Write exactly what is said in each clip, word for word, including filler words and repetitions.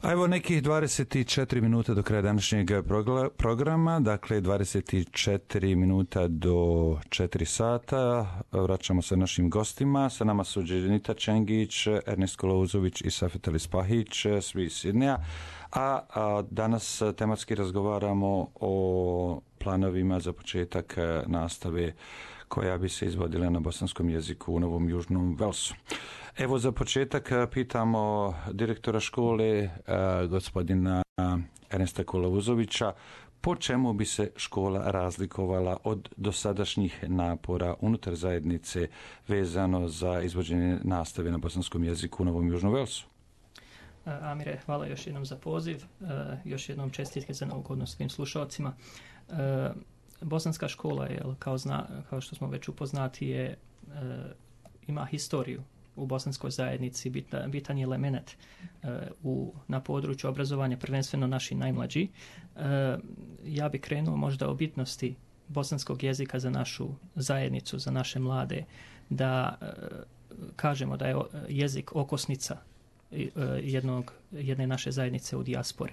A evo nekih dvadeset četiri minuta do kraja današnjeg programa, dakle dvadeset četiri minuta do četiri sata. Vraćamo se našim gostima. Sa nama su Dženita Čengić, Ernest Kolouzović i Safet Elispahić, svi iz Sidneja. A, a danas tematski razgovaramo o planovima za početak nastave koja bi se izvodila na bosanskom jeziku u Novom Južnom Velsu. Evo za početak pitamo direktora škole, gospodina Ernesta Kolouzovića, po čemu bi se škola razlikovala od dosadašnjih napora unutar zajednice vezano za izvođenje nastave na bosanskom jeziku u Novom Južnom Velsu? Amire, hvala još jednom za poziv, još jednom čestitke za novu godinu svim slušalcima. Bosanska škola je, kao, zna, kao što smo već upoznati, je, ima historiju u bosanskoj zajednici, bitan, bitan je element u, na području obrazovanja, prvenstveno naši najmlađi. Ja bih krenuo možda o bitnosti bosanskog jezika za našu zajednicu, za naše mlade, da kažemo da je jezik okosnica jednog, jedne naše zajednice u dijaspori.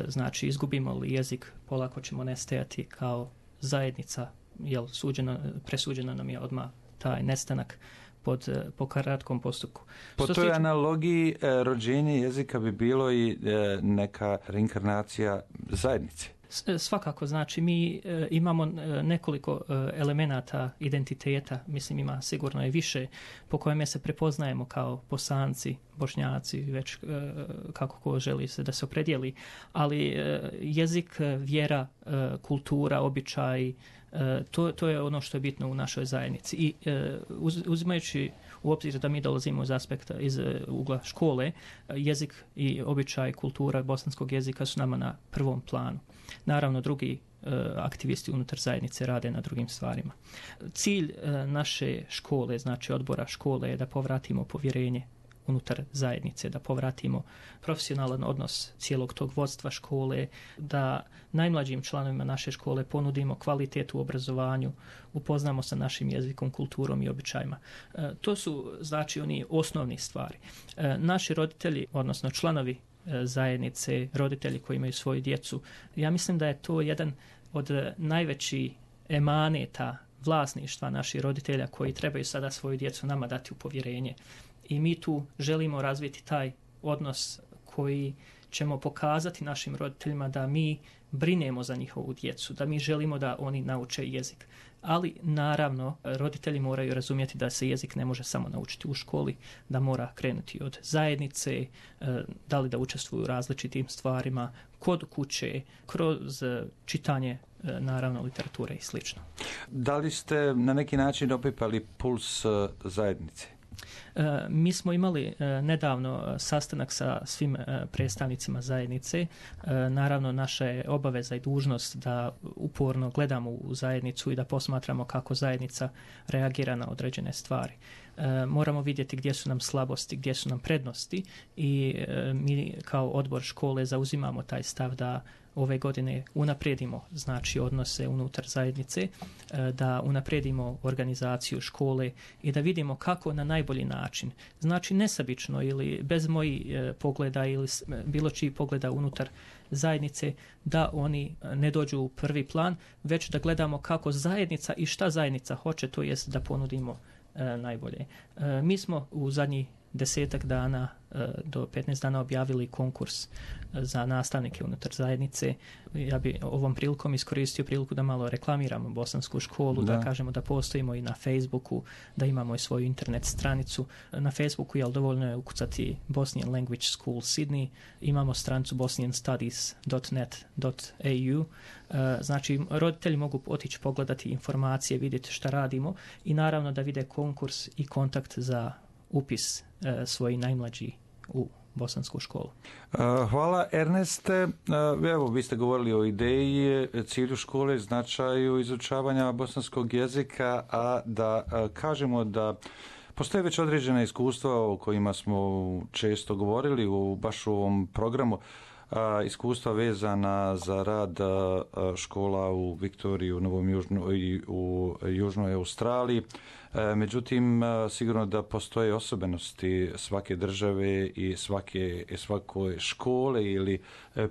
Znači, izgubimo li jezik, polako ćemo nestajati kao zajednica, jel, suđeno, presuđeno nam je odmah taj nestanak pod, po kratkom postupku. Po toj stiče... analogiji e, rođenje jezika bi bilo i e, neka reinkarnacija zajednice. Svakako, znači mi e, imamo nekoliko e, elemenata identiteta, mislim ima sigurno je više, po kojem se prepoznajemo kao Bosanci, Bošnjaci, već e, kako ko želi se da se opredijeli, ali e, jezik, vjera, e, kultura, običaj, e, to, to je ono što je bitno u našoj zajednici. I e, uz, uzimajući u obzir da mi dolazimo iz aspekta, iz ugla škole, jezik i običaj, kultura bosanskog jezika su nama na prvom planu. Naravno, drugi e, aktivisti unutar zajednice rade na drugim stvarima. Cilj e, naše škole, znači odbora škole, je da povratimo povjerenje unutar zajednice, da povratimo profesionalan odnos cijelog tog vodstva škole, da najmlađim članovima naše škole ponudimo kvalitet u obrazovanju, upoznamo sa našim jezikom, kulturom i običajima. E, to su, znači, oni osnovni stvari. E, naši roditelji, odnosno članovi zajednice, roditelji koji imaju svoju djecu. Ja mislim da je to jedan od najvećih emaneta vlasništva naših roditelja koji trebaju sada svoju djecu nama dati u povjerenje. I mi tu želimo razviti taj odnos koji ćemo pokazati našim roditeljima da mi brinemo za njihovu djecu, da mi želimo da oni nauče jezik. Ali naravno roditelji moraju razumjeti da se jezik ne može samo naučiti u školi, da mora krenuti od zajednice, da li da učestvuju u različitim stvarima, kod kuće, kroz čitanje naravno literature i slično. Da li ste na neki način opipali puls zajednice? E, mi smo imali e, nedavno sastanak sa svim e, predstavnicima zajednice. E, naravno, naša je obaveza i dužnost da uporno gledamo u zajednicu i da posmatramo kako zajednica reagira na određene stvari. E, moramo vidjeti gdje su nam slabosti, gdje su nam prednosti i e, mi kao odbor škole zauzimamo taj stav da ove godine unaprijedimo, znači, odnose unutar zajednice, da unaprijedimo organizaciju škole i da vidimo kako na najbolji način, znači nesebično ili bez mojih pogleda ili bilo čiji pogleda unutar zajednice, da oni ne dođu u prvi plan, već da gledamo kako zajednica i šta zajednica hoće, to jest da ponudimo e, najbolje. E, mi smo u zadnjih desetak dana do petnaest dana objavili konkurs za nastavnike unutar zajednice. Ja bi ovom prilikom iskoristio priliku da malo reklamiramo bosansku školu, da, da kažemo da postojimo i na Facebooku, da imamo i svoju internet stranicu. Na Facebooku je dovoljno je ukucati Bosnian Language School Sydney, imamo stranicu bosnian studies dot net dot a u. Znači, roditelji mogu otići pogledati informacije, vidjeti šta radimo i naravno da vide konkurs i kontakt za upis e, svoji najmlađi u bosansku školu. Hvala, Erneste. Evo, vi ste govorili o ideji, cilju škole, značaju izučavanja bosanskog jezika, a da kažemo da postoje već određena iskustva o kojima smo često govorili u baš u ovom programu. iskustva vezana za rad škola u Viktoriji, u Novom Južnoj i u Južnoj Australiji. Međutim, sigurno da postoje osobenosti svake države i svake, svake škole ili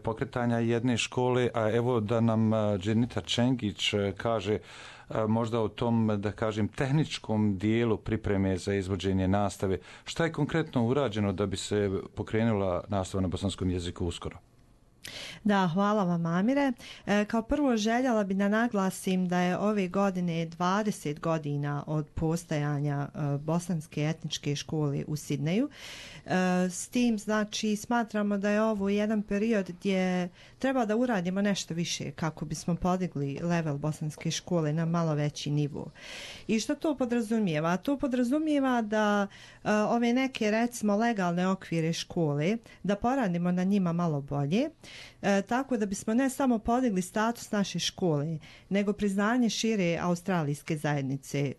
pokretanja jedne škole, a evo da nam Dženita Čengić kaže možda u tom, da kažem, tehničkom dijelu pripreme za izvođenje nastave. Šta je konkretno urađeno da bi se pokrenula nastava na bosanskom jeziku uskoro? Da, hvala vam, Amire. E, kao prvo željela bi da naglasim da je ove godine dvadeset godina od postojanja e, bosanske etničke škole u Sidneju. E, s tim, znači, smatramo da je ovo jedan period gdje treba da uradimo nešto više kako bismo podigli level bosanske škole na malo veći nivo. I što to podrazumijeva? To podrazumijeva da e, ove neke, recimo, legalne okvire škole, da poradimo na njima malo bolje, E, tako da bismo ne samo podigli status naše škole, nego priznanje šire australijske zajednice, e,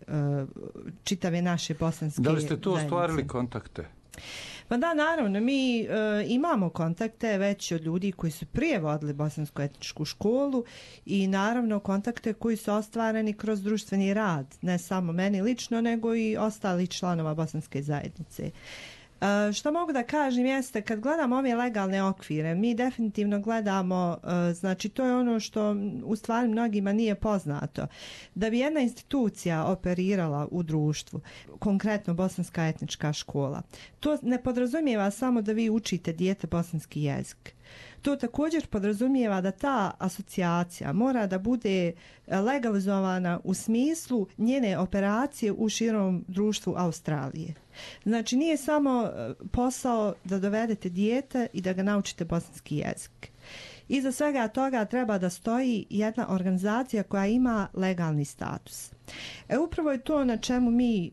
čitave naše bosanske zajednice. Da li ste tu ostvarili kontakte? Pa da, naravno, mi e, imamo kontakte već od ljudi koji su prije vodili bosansku etničku školu i naravno kontakte koji su ostvareni kroz društveni rad, ne samo meni lično, nego i ostali članova bosanske zajednice. Uh, što mogu da kažem jeste, kad gledamo ove legalne okvire, mi definitivno gledamo, uh, znači to je ono što u stvari mnogima nije poznato, da bi jedna institucija operirala u društvu, konkretno bosanska etnička škola, to ne podrazumijeva samo da vi učite dijete bosanski jezik. To također podrazumijeva da ta asocijacija mora da bude legalizovana u smislu njene operacije u širom društvu Australije. Znači nije samo posao da dovedete dijete i da ga naučite bosanski jezik. Iza svega toga treba da stoji jedna organizacija koja ima legalni status. E upravo je to na čemu mi e,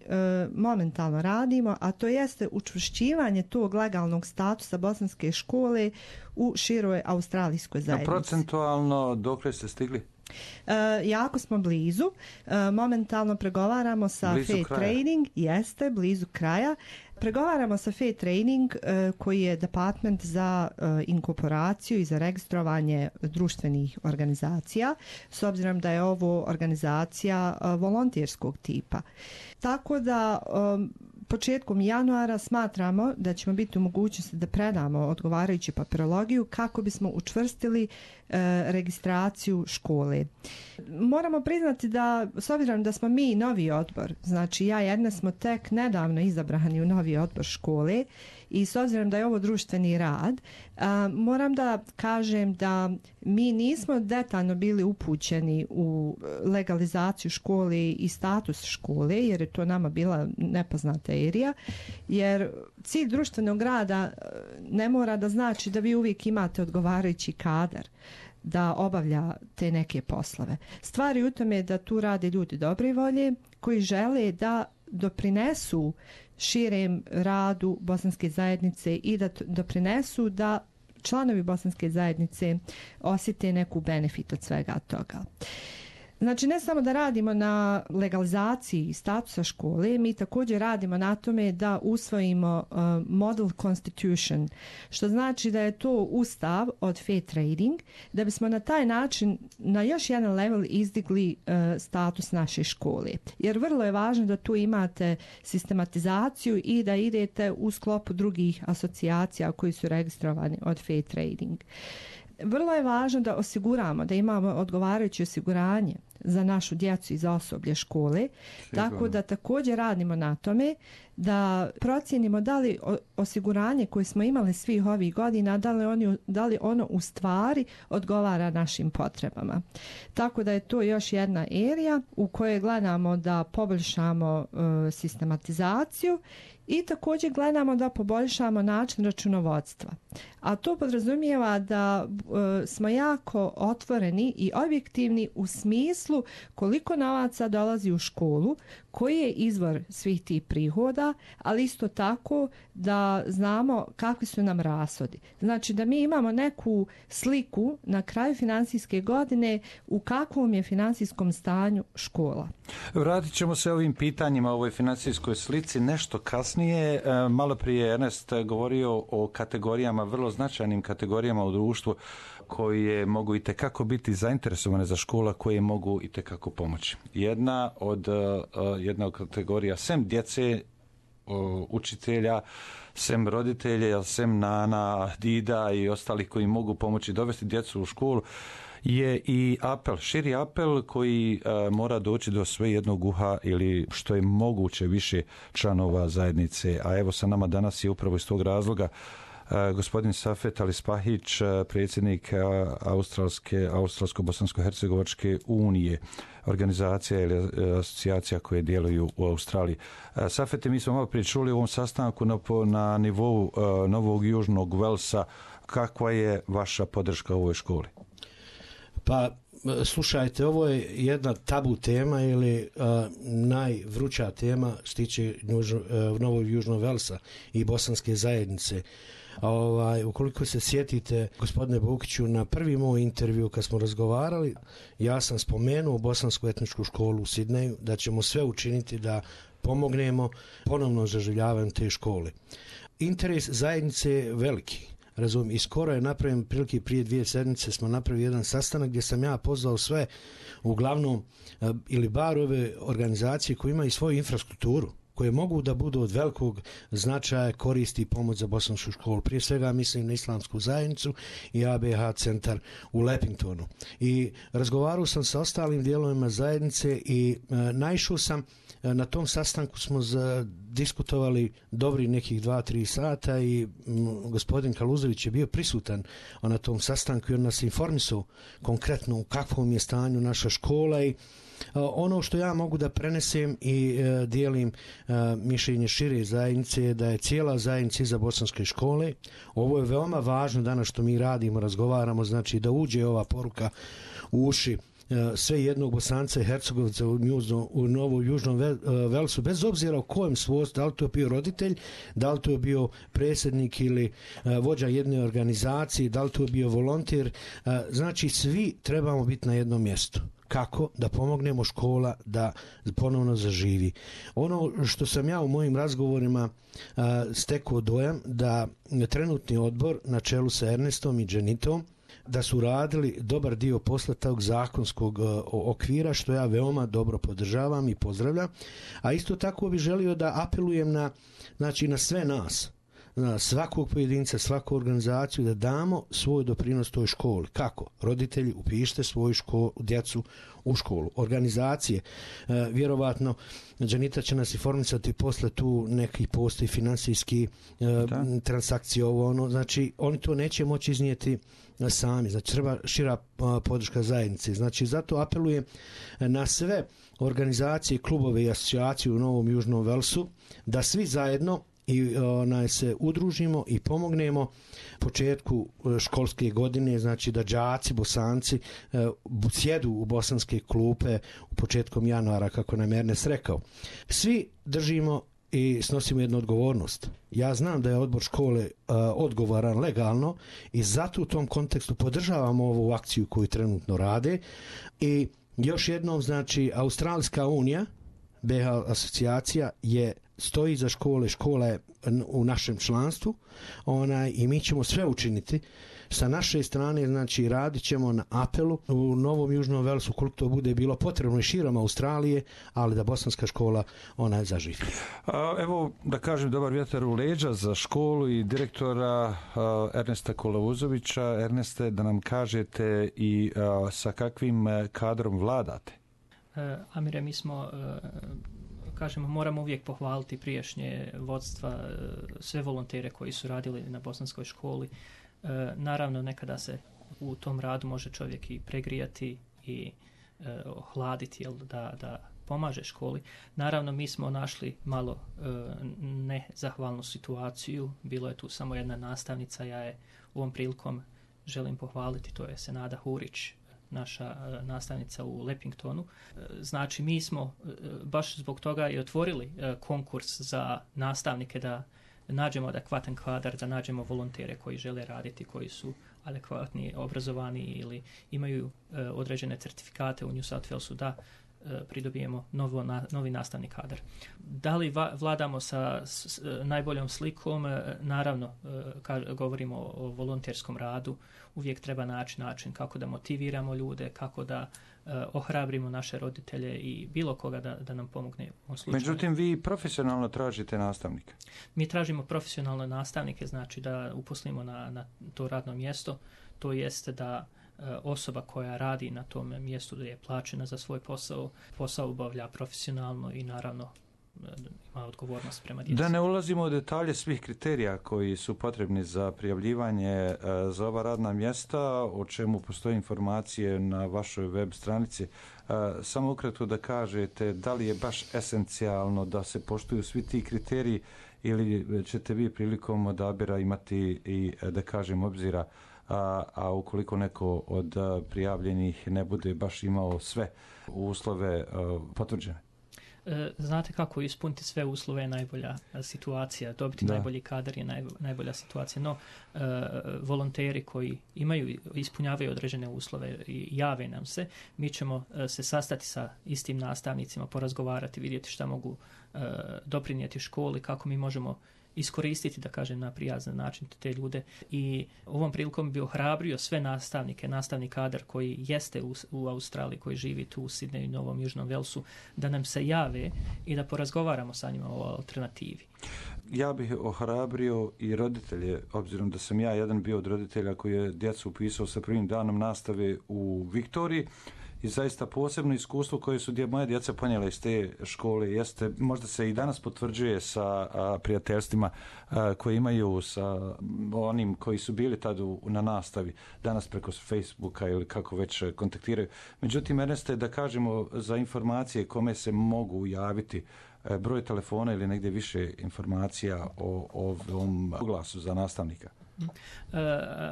momentalno radimo, a to jeste učvršćivanje tog legalnog statusa bosanske škole u široj australijskoj zajednici. A procentualno dokle ste stigli? E, jako smo blizu. E, momentalno pregovaramo sa Fair Trading, jeste blizu kraja. Pregovaramo sa Fair Trading e, koji je department za e, inkorporaciju i za registrovanje društvenih organizacija, s obzirom da je ovo organizacija e, volonterskog tipa. Tako da e, početkom januara smatramo da ćemo biti u mogućnosti da predamo odgovarajuću papirologiju kako bismo učvrstili e, registraciju škole. Moramo priznati da, s obzirom da smo mi novi odbor, znači ja jedna smo tek nedavno izabrani u novi odbor škole i s obzirom da je ovo društveni rad, a, moram da kažem da mi nismo detaljno bili upućeni u legalizaciju škole i status škole, jer je to nama bila nepoznata erija, jer cilj društvenog rada ne mora da znači da vi uvijek imate odgovarajući kadar da obavlja te neke poslove. Stvari u tome da tu rade ljudi dobre volje koji žele da doprinesu širem radu bosanske zajednice i da doprinesu da članovi bosanske zajednice osjete neku benefit od svega toga. Znači, ne samo da radimo na legalizaciji statusa škole, mi također radimo na tome da usvojimo uh, model constitution, što znači da je to ustav od Fair Trading, da bismo na taj način na još jedan level izdigli uh, status naše škole. Jer vrlo je važno da tu imate sistematizaciju i da idete u sklopu drugih asocijacija koji su registrovani od Fair Trading. Vrlo je važno da osiguramo, da imamo odgovarajuće osiguranje za našu djecu i za osoblje škole, Sigurno. Tako da također radimo na tome da procijenimo da li osiguranje koje smo imali svih ovih godina, da li, oni, da li ono u stvari odgovara našim potrebama. Tako da je to još jedna erija u kojoj gledamo da poboljšamo uh, sistematizaciju i također gledamo da poboljšamo način računovodstva. A to podrazumijeva da e, smo jako otvoreni i objektivni u smislu koliko novaca dolazi u školu, koji je izvor svih tih prihoda, ali isto tako da znamo kakvi su nam rashodi. Znači da mi imamo neku sliku na kraju finansijske godine u kakvom je finansijskom stanju škola. Vratit ćemo se ovim pitanjima, ovoj financijskoj slici nešto kasnije. Malo prije Ernest govorio o kategorijama, vrlo značajnim kategorijama u društvu koje mogu i tekako biti zainteresovane za škola, koje mogu i tekako pomoći. Jedna od, jedna od kategorija, sem djece, učitelja, sem roditelja, sem nana, dida i ostalih koji mogu pomoći dovesti djecu u školu, je i apel, širi apel koji a, mora doći do sve jednog uha ili što je moguće više članova zajednice. A evo sa nama danas je upravo iz tog razloga a, gospodin Safet Alispahić, a, predsjednik a, Australske, Australsko-Bosansko-Hercegovačke unije, organizacija ili asocijacija koje djeluju u Australiji. A, Safete, mi smo malo prije čuli u ovom sastanku na, na nivou a, Novog Južnog Velsa. Kakva je vaša podrška ovoj školi? Pa, slušajte, ovo je jedna tabu tema ili uh, najvruća tema što tiče uh, Novog Južnog Velsa i bosanske zajednice. Ovaj, ukoliko se sjetite, gospodine Bukiću, na prvi moj intervju kad smo razgovarali, ja sam spomenuo Bosansku etničku školu u Sidneju, da ćemo sve učiniti da pomognemo ponovno zaživljavanju te škole. Interes zajednice je veliki. Razumijem, i skoro je napravljen, prilike prije dvije sedmice smo napravili jedan sastanak gdje sam ja pozvao sve, uglavnom, ili bar ove organizacije koje imaju svoju infrastrukturu, koje mogu da budu od velikog značaja, koristi i pomoć za bosansku školu. Prije svega mislim na Islamsku zajednicu i A B H centar u Lepingtonu. I razgovarao sam sa ostalim dijelovima zajednice i e, naišao sam, e, na tom sastanku smo za, diskutovali dobri nekih dva, tri sata i m, gospodin Kaluzović je bio prisutan na tom sastanku i on nas informisao konkretno u kakvom je stanju naša škola i ono što ja mogu da prenesem i e, dijelim e, mišljenje šire zajednice je da je cijela zajednica iza bosanske škole. Ovo je veoma važno danas što mi radimo, razgovaramo, znači da uđe ova poruka u uši e, sve jednog Bosanca i Hercegovca u, Njuzno, u Novom Južnom Velsu, bez obzira u kojem svojstvu, da li to bio roditelj, da li to bio predsjednik ili e, vođa jedne organizacije, da li to bio volonter, e, znači svi trebamo biti na jednom mjestu. Kako da pomognemo škola da ponovno zaživi. Ono što sam ja u mojim razgovorima a, stekao dojam da trenutni odbor na čelu sa Ernestom i Dženitom da su radili dobar dio posla tog zakonskog a, okvira, što ja veoma dobro podržavam i pozdravljam, a isto tako bih želio da apelujem na, znači, na sve nas, na svakog pojedinca, svaku organizaciju, da damo svoj doprinos toj školi. Kako? Roditelji, upišite svoju školu, djecu u školu. Organizacije, e, vjerovatno, Džanita će nas informisati posle tu neki postoji financijski e, transakcije, ovo ono, znači oni to neće moći iznijeti sami, znači treba šira a, podrška zajednice. Znači zato apelujem na sve organizacije, klubove i asocijacije u Novom Južnom Velsu da svi zajedno i onaj se udružimo i pomognemo početku školske godine, znači da đaci, Bosanci e, sjedu u bosanske klupe u početkom januara, kako nam je Ernest rekao. Svi držimo i snosimo jednu odgovornost. Ja znam da je odbor škole e, odgovoran legalno i zato u tom kontekstu podržavamo ovu akciju koju trenutno rade i još jednom, znači, Australijska unija, B H asocijacija je stoji za škole, škola je u našem članstvu, onaj, i mi ćemo sve učiniti sa naše strane, znači radit ćemo na apelu u Novom Južnom Velsu koliko to bude bilo potrebno i širom Australije, ali da bosanska škola ona zaživi. A, evo da kažem dobar vjetar u leđa za školu i direktora a, Ernesta Kolavuzovića. Erneste, da nam kažete i a, sa kakvim kadrom vladate? E, Amire, mi smo e, kažemo, moramo uvijek pohvaliti prijašnje vodstva, sve volontere koji su radili na bosanskoj školi. E, naravno, nekada se u tom radu može čovjek i pregrijati i e, ohladiti, jel, da, da pomaže školi. Naravno, mi smo našli malo e, nezahvalnu situaciju. Bilo je tu samo jedna nastavnica, ja je u ovom prilikom želim pohvaliti, to je Senada Hurić, naša nastavnica u Lepingtonu. Znači, mi smo baš zbog toga i otvorili konkurs za nastavnike da nađemo adekvatan kadar, da nađemo volontere koji žele raditi, koji su adekvatni, obrazovani ili imaju određene certifikate u New South Walesu da pridobijemo novo, na, novi nastavni kadar. Da li va, vladamo sa s, s, najboljom slikom? Naravno, ka, govorimo o, o volonterskom radu, uvijek treba naći način kako da motiviramo ljude, kako da uh, ohrabrimo naše roditelje i bilo koga da, da nam pomogne u slučaju. Međutim, vi profesionalno tražite nastavnike? Mi tražimo profesionalne nastavnike, znači da uposlimo na, na to radno mjesto, to jeste da osoba koja radi na tom mjestu da je plaćena za svoj posao, posao obavlja profesionalno i naravno ima odgovornost prema djeci. Da ne ulazimo u detalje svih kriterija koji su potrebni za prijavljivanje za ova radna mjesta, o čemu postoje informacije na vašoj web stranici. Samo ukratko da kažete da li je baš esencijalno da se poštuju svi ti kriteriji ili ćete vi prilikom odabira imati i, da kažem, obzira A, a ukoliko neko od a, prijavljenih ne bude baš imao sve uslove a, potvrđene? E, znate kako ispuniti sve uslove je najbolja situacija, dobiti da. najbolji kadar je naj, najbolja situacija, no e, volonteri koji imaju, ispunjavaju određene uslove i jave nam se, mi ćemo e, se sastati sa istim nastavnicima, porazgovarati, vidjeti šta mogu e, doprinijeti školi, kako mi možemo iskoristiti, da kažem, na prijazan način te ljude i ovom prilikom bi ohrabrio sve nastavnike, nastavni kadar koji jeste u, u Australiji, koji živi tu u Sidneju i Novom Južnom Velsu, da nam se jave i da porazgovaramo sa njima o alternativi. Ja bih ohrabrio i roditelje, obzirom da sam ja jedan bio od roditelja koji je djecu upisao sa prvim danom nastave u Viktoriji. I zaista posebno iskustvo koje su dje, moje djeca ponijela iz te škole jeste, možda se i danas potvrđuje sa a, prijateljstvima a, koje imaju sa onim koji su bili tad u, na nastavi, danas preko Facebooka ili kako već kontaktiraju. Međutim, Erneste, da kažemo za informacije kome se mogu javiti, a, broj telefona ili negdje više informacija o, o ovom oglasu za nastavnika. Uh,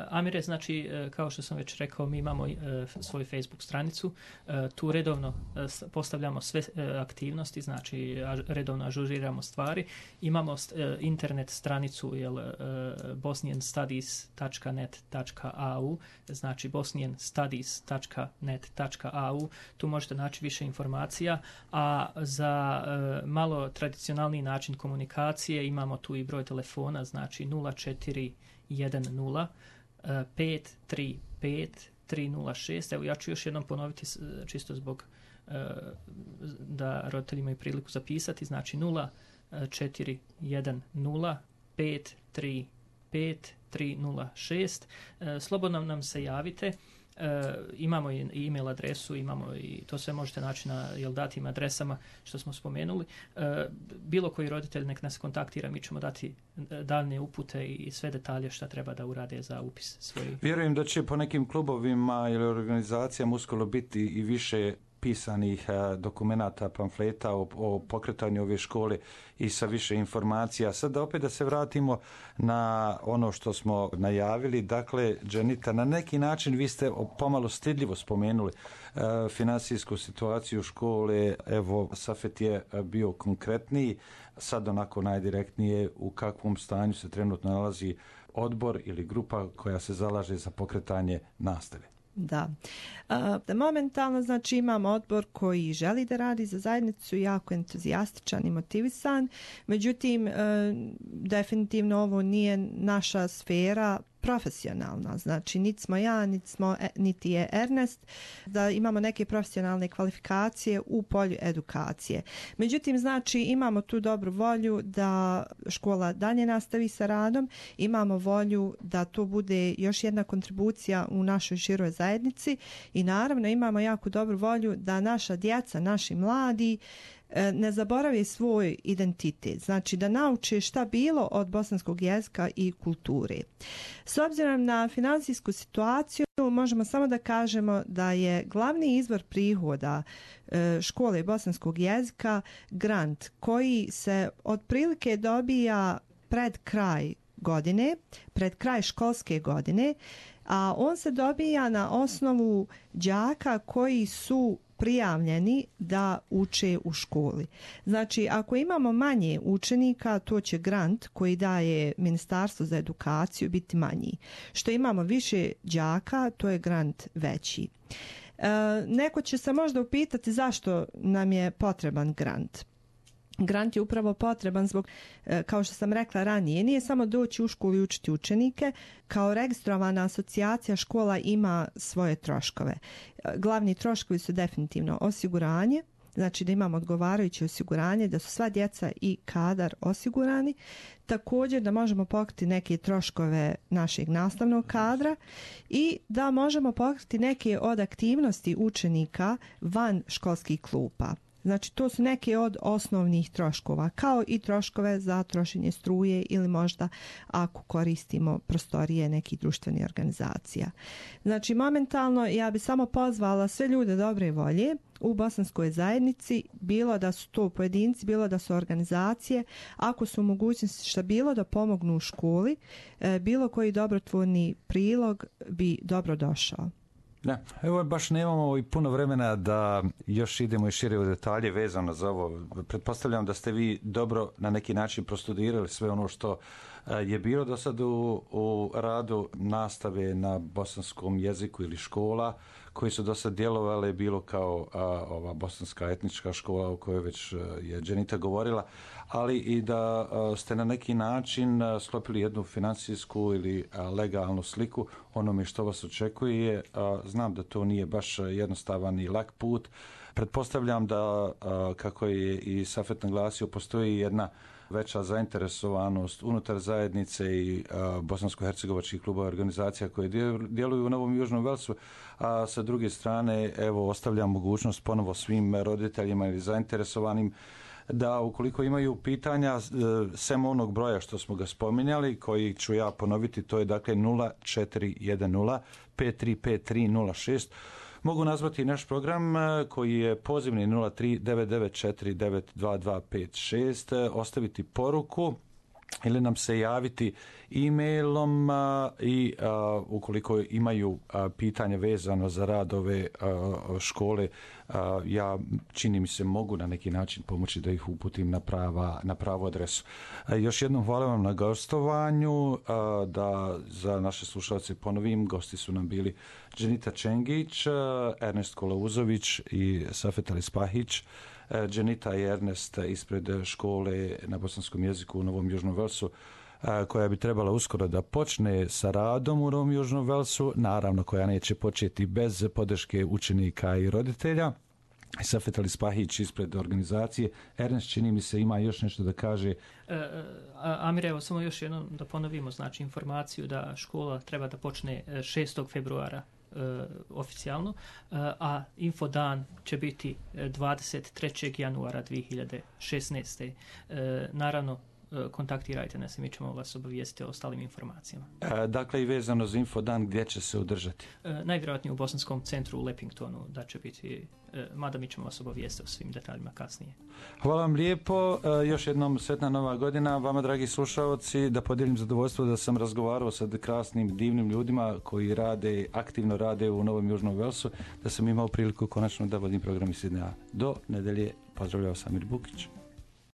Amire, znači, uh, kao što sam već rekao, mi imamo uh, svoju Facebook stranicu, uh, tu redovno uh, postavljamo sve uh, aktivnosti, znači a, redovno ažuriramo stvari, imamo uh, internet stranicu jel, uh, bosnian studies dot net dot a u, znači bosnian studies dot net dot a u, tu možete naći više informacija, a za uh, malo tradicionalni način komunikacije imamo tu i broj telefona, znači nula četiri jedan nula pet tri pet tri nula šest. Evo ja ću još jednom ponoviti čisto zbog da roditelji imaju priliku zapisati, znači nula četiri jedan nula pet tri pet tri nula šest. Slobodno nam se javite. E, imamo i e-mail adresu, imamo i to sve možete naći na jel, datim adresama što smo spomenuli. E, bilo koji roditelj nek nas kontaktira, mi ćemo dati daljnje upute i sve detalje šta treba da urade za upis svojih. Vjerujem da će po nekim klubovima ili organizacijama uskoro biti i više pisanih dokumenata, pamfleta o, o pokretanju ove škole i sa više informacija. Sad opet da se vratimo na ono što smo najavili. Dakle, Dženita, na neki način vi ste pomalo stidljivo spomenuli e, finansijsku situaciju škole. Evo, Safet je bio konkretniji, sad onako najdirektnije u kakvom stanju se trenutno nalazi odbor ili grupa koja se zalaže za pokretanje nastave. Da. E, momentalno znači imamo odbor koji želi da radi za zajednicu, jako entuzijastičan i motivisan, međutim e, definitivno ovo nije naša sfera profesionalna, znači niti smo ja, niti, smo, niti je Ernest, da imamo neke profesionalne kvalifikacije u polju edukacije. Međutim, znači imamo tu dobru volju da škola dalje nastavi sa radom, imamo volju da to bude još jedna kontribucija u našoj široj zajednici i naravno imamo jako dobru volju da naša djeca, naši mladi ne zaboravi svoj identitet, znači da nauče šta bilo od bosanskog jezika i kulture. S obzirom na finansijsku situaciju, možemo samo da kažemo da je glavni izvor prihoda škole bosanskog jezika grant koji se otprilike dobija pred kraj godine, pred kraj školske godine, a on se dobija na osnovu đaka koji su prijavljeni da uče u školi. Znači, ako imamo manje učenika, to će grant koji daje Ministarstvo za edukaciju biti manji. Što imamo više đaka, to je grant veći. Neko će se možda upitati zašto nam je potreban grant. Grant je upravo potreban zbog, kao što sam rekla ranije, nije samo doći u školu i učiti učenike. Kao registrovana asocijacija škola ima svoje troškove. Glavni troškovi su definitivno osiguranje, znači da imamo odgovarajuće osiguranje, da su sva djeca i kadar osigurani. Također da možemo pokriti neke troškove našeg nastavnog kadra i da možemo pokriti neke od aktivnosti učenika van školskih klupa. Znači to su neke od osnovnih troškova, kao i troškove za trošenje struje ili možda ako koristimo prostorije nekih društvenih organizacija. Znači momentalno ja bi samo pozvala sve ljude dobre volje u bosanskoj zajednici, bilo da su to pojedinci, bilo da su organizacije, ako su mogućnosti šta bilo da pomognu u školi, bilo koji dobrotvorni prilog bi dobro došao. Da, evo baš nemamo i puno vremena da još idemo i šire u detalje vezano za ovo. Pretpostavljam da ste vi dobro na neki način prostudirali sve ono što je bilo do sad u, u radu nastave na bosanskom jeziku ili škola koji su do sad djelovale, bilo kao a, ova bosanska etnička škola o kojoj već je Dženita govorila, ali i da a, ste na neki način a, sklopili jednu financijsku ili a, legalnu sliku onome što vas očekuje. A, znam da to nije baš jednostavan i lak put. Pretpostavljam da, a, kako je i Safet naglasio, postoji jedna veća zainteresovanost unutar zajednice i bosansko-hercegovačkih klubova i organizacija koje djeluju u Novom Južnom Velsu, a sa druge strane evo ostavljam mogućnost ponovo svim roditeljima ili zainteresovanim da ukoliko imaju pitanja, sem onog broja što smo ga spominjali, koji ću ja ponoviti, to je dakle nula četiri jedan nula pet tri pet tri nula šest, mogu nazvati naš program koji je pozivni nula tri devet devet četiri devet dva dva pet šest, ostaviti poruku ili nam se javiti e-mailom i a, ukoliko imaju a, pitanja vezano za rad ove a, škole, a, ja čini mi se mogu na neki način pomoći da ih uputim na, prava, na pravu adresu. A, još jednom hvala vam na gostovanju, a, da za naše slušalce ponovim, gosti su nam bili Dženita Čengić, Ernest Kolauzović i Safet Alispahić. Dženita i Ernest ispred škole na bosanskom jeziku u Novom Južnom Velsu, koja bi trebala uskoro da počne sa radom u Novom Južnom Velsu, naravno koja neće početi bez podrške učenika i roditelja. Safet Alispahić ispred organizacije. Ernest, čini mi se, ima još nešto da kaže. E, Amir, evo samo još jednom da ponovimo, znači informaciju da škola treba da počne šestog februara Uh, oficijalno, uh, a infodan će biti dvadeset trećeg januara dvije hiljade šesnaeste. Uh, naravno, uh, kontaktirajte nas i mi ćemo vas obavijestiti o ostalim informacijama. E, dakle, i vezano za infodan, gdje će se održati? Uh, najvjerojatnije u Bosanskom centru u Lepingtonu, da će biti, uh, mada mi ćemo vas obavijestiti o svim detaljima kasnije. Hvala vam lijepo, e, još jednom sretna nova godina vama, dragi slušalci, da podijelim zadovoljstvo da sam razgovarao sa krasnim, divnim ljudima koji rade, aktivno rade u Novom Južnom Velsu, da sam imao priliku konačno da vodim program iz Sidneja. Do nedelje, pozdravljao Samir Bukić.